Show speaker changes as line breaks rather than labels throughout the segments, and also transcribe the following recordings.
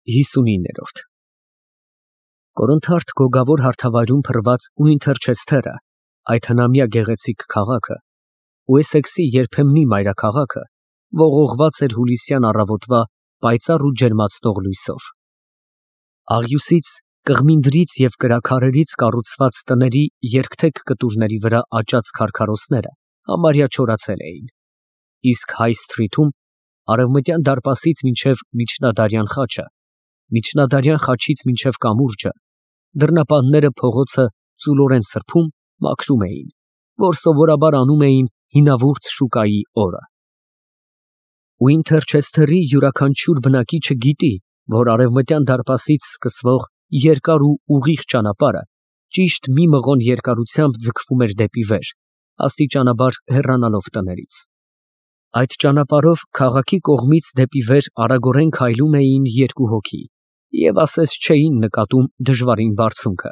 59 Կորնթարդ գոգավոր հարթավայրում փռված ու Ինթերչեսթերը, այդ հնամյա գեղեցիկ քաղաքը, Ուեսեքսի երբեմնի մայրաքաղաքը, ողողված էր հուլիսյան առավոտվա պայծառ ու ջերմացնող լույսով։ Աղյուսից, կղմինդրից և կրաքարերից կառուցված տների երկթեք կտուրների վրա աճած քարքարոսները համարյա չորացել էին, իսկ Հայ սթրիթում, արևմտյան դարպասից մինչև միջնադարյան խաչը, միջնադարյան խաչից մինչև կամուրջը, դռնապանները փողոցը ծուլորեն սրբում, մաքրում էին, որ սովորաբար անում էին հինավուրց շուկայի օրը։ Ու Ինթերչեսթերի յուրաքանչյուր բնակիչը գիտի, որ արևմտյան դարպասից սկսվող երկար ու ուղիղ ճանապարհը ճիշտ մի մղոն երկարությամբ ձգվում էր դեպի վեր, աստիճանաբար հեռանալով տներից։ Այդ ճանապարհով քաղաքի կողմից դեպի վեր արագորեն քայլում էին երկու հոգի և ասես չէին նկատում դժվարին բարձունքը։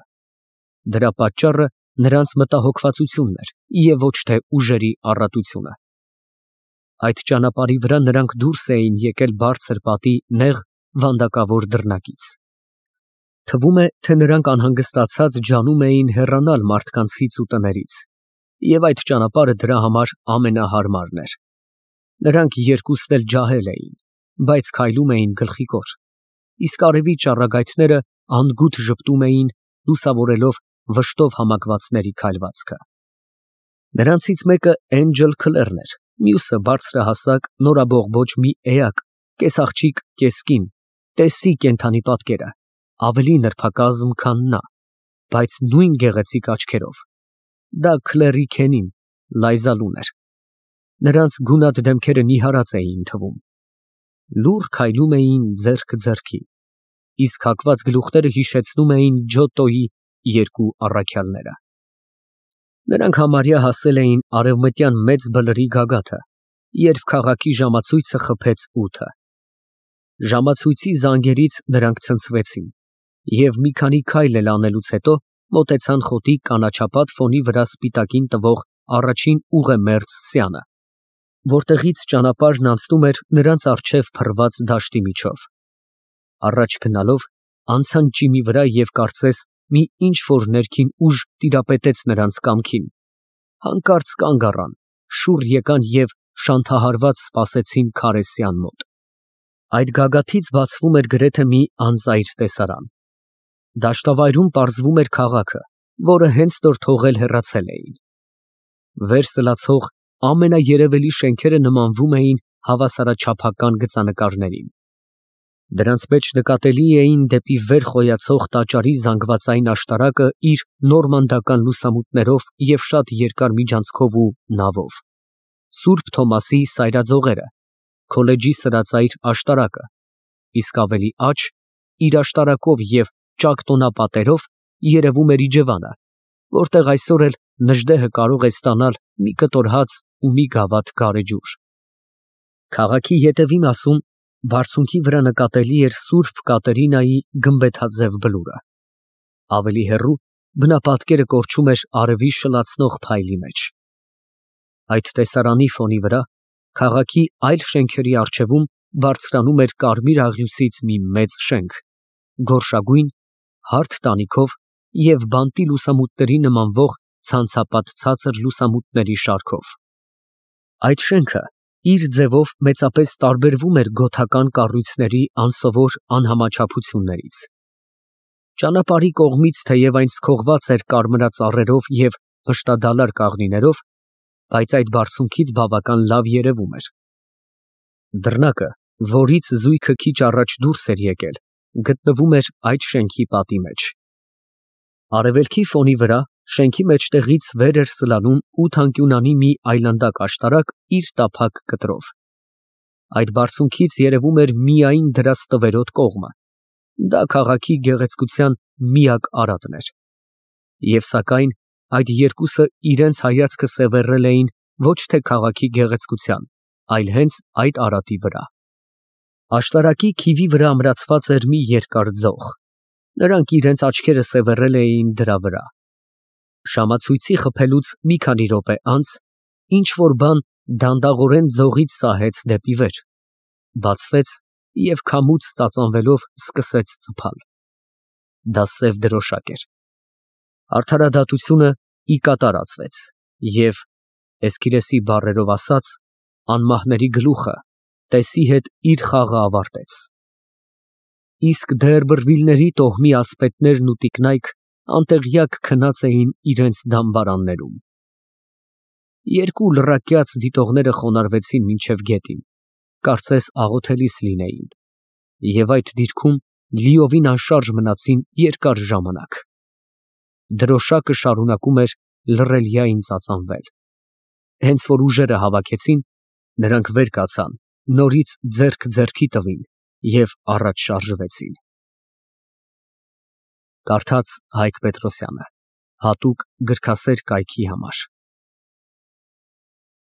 Դրա պատճառը նրանց մտահոգվածությունն էր և ոչ թե ուժերի առատությունը։ Այդ ճանապարհի վրա նրանք դուրս էին եկել բարձր պատի նեղ վանդակավոր դռնակից։ Թվում է, թե նրանք անհանգստացած ջանում էին հեռանալ մարդկանցից ու տներից, և այդ ճանապարհը դրա համար ամենահարմարն էր։ Նրանք երկուսն էլ ջահել էին, բայց քայլում էին գլխիկոր, իսկ արևի ճառագայթները անդգութ ժպտում էին, լուսավորելով վշտով համակվածների քայլվածքը։ Նրանցից մեկը Էնջել Քլերն էր, մյուսը բարձրահասակ, նորաբողբոջ մի էակ, կես աղջիկ, կես կին, տեսի կենդանի պատկերը, ավելի նրբակազմ, քան նա, բայց նույն գեղեցիկ աչքերով։ Դա Քլերի քենին, Լայզալուն էր։ Նրանց գունատ դեմքերը նիհարած էին թվում։ Լուռ քայլում էին ձեռք ձեռքի, իսկ հագված գլուխները հիշեցնում էին Ջոտոյի երկու առաքյալները։ Նրանք համարյա հասել էին արևմտյան մեծ բլրի գագաթը, երբ քաղաքի ժամացույցը խփեց 8-ը։ Ժամացույցի զանգերից նրանք ցնցվեցին և մի քանի քայլ էլ անելուց հետո մոտեցան խոտի կանաչապատ ֆոնի վրա սպիտակին տվող առաջին ուղեմերձ սյանը, որտեղից ճանապարհն անցնում էր նրանց առջև փռված դաշտի միջով։ Առաջ գնալով անցան ճիմի վրա և կարծես մի ինչ֊որ ներքին ուժ տիրապետեց նրանց կամքին, հանկարծ կանգ առան, շուռ եկան և շանթահարված սպասեցին քարե սյան մոտ։ Այդ գագաթից բացվում էր գրեթե մի անծայր տեսարան։ Դաշտավայրում պարզվում էր քաղաքը, որը հենց նոր թողել հեռացել էին։ Վեր սլացող ամենաերևելի շենքերը նմանվում էին հավասարաչափական գծանկարներին։ Դրանց մեջ նկատելի էին դեպի վեր խոյացող տաճարի զանգվածային աշտարակը իր նորմանդական լուսամուտներով և շատ երկար միջանցքով ու նավով, Սուրբ Թոմասի սայրաձողերը, քոլեջի սրածայր աշտարակը, իսկ ավելի աջ, իր աշտարակով և ճակ տոնապատերով երևում էր իջևանը, որտեղ այսօր էլ նժդեհը կարող է ստանալ մի կտոր հաց ու մի գավաթ գարեջուր։ Քաղաքի ետևի մասում բարձունքի վրա նկատելի էր Սուրբ Կատերինայի գմբեթաձև բլուրը։ Ավելի հեռու բնապատկերը կորչում էր արևի շլացնող փայլի մեջ։ Այդ տեսարանի ֆոնի վրա քաղաքի այլ շենքերի առջևում բարձրանում էր կարմիր աղյուսից մի մեծ շենք, գորշագույն, հարթ տանիքով և բանտի լուսամուտների նմանվող ցանցապատ ցածր լուսամուտների շարքով։ Այդ շենքը իր ձևով մեծապես տարբերվում էր գոթական կառույցների անսովոր անհամաչափություններից։ Ճանապարհի կողմից թեև այն սքողված էր կարմրածառերով և փշտադալար կաղնիներով, բայց այդ բարձունքից բավական լավ երևում էր։ Դռնակը, որից զույգը քիչ առաջ դուրս էր եկել, գտնվում էր այդ շենքի պատի մեջ։ Արևելքի ֆոնի վրա շենքի մեջտեղից վեր էր սլանում 8 մի այլանդակ աշտարակ իր տափակ կտրով։ Այդ բարձունքից երևում էր միայն դրա ստվերոտ կողմը։ Դա քաղաքի գեղեցկության միակ արատն էր։ Եվ սակայն այդ երկուսը իրենց հայացքը սևեռել էին ոչ թե քաղաքի գեղեցկության, այլ հենց այդ արատի վրա։ Աշտարակի քիվի վրա ամրացված էր մի երկար ձող։ Նրանք իրենց աչքերը սևեռել էին դրա վրա։ Ժամացույցի խփելուց մի քանի րոպե անց ինչ֊որ բան դանդաղորեն ձողից սահեց դեպի վեր, բացվեց և քամուց ծածանվելով սկսեց ծփալ։ Դա սև դրոշակ էր։ Արդարադատությունը ի կատարածվեց, և, Էսքիլեսի բառերով ասած, անմահների գլուխը տեսի հետ իր խաղը ավարտեց։ Իսկ դեռ բռվիլների տոհմի ասպետներն ու տիկնայք անտեղյակ քնած էին իրենց դամբարաններում։ Երկու լռակյաց դիտողները խոնարհվեցին մինչև գետին, կարծես աղոթելիս լինեին, և այդ դիրքում լիովին անշարժ մնացին երկար ժամանակ։ Դրոշակը շարունակում էր լռելյային ծածանվել։ Հենց որ ուժերը հավաքեցին, նրանք վեր կացան, նորից ձեռք ձեռքի տվին և առաջ շարժվեցին։ Կարդաց Հայկ Պետրոսյանը, հատուկ գրքասեր կայքի համար։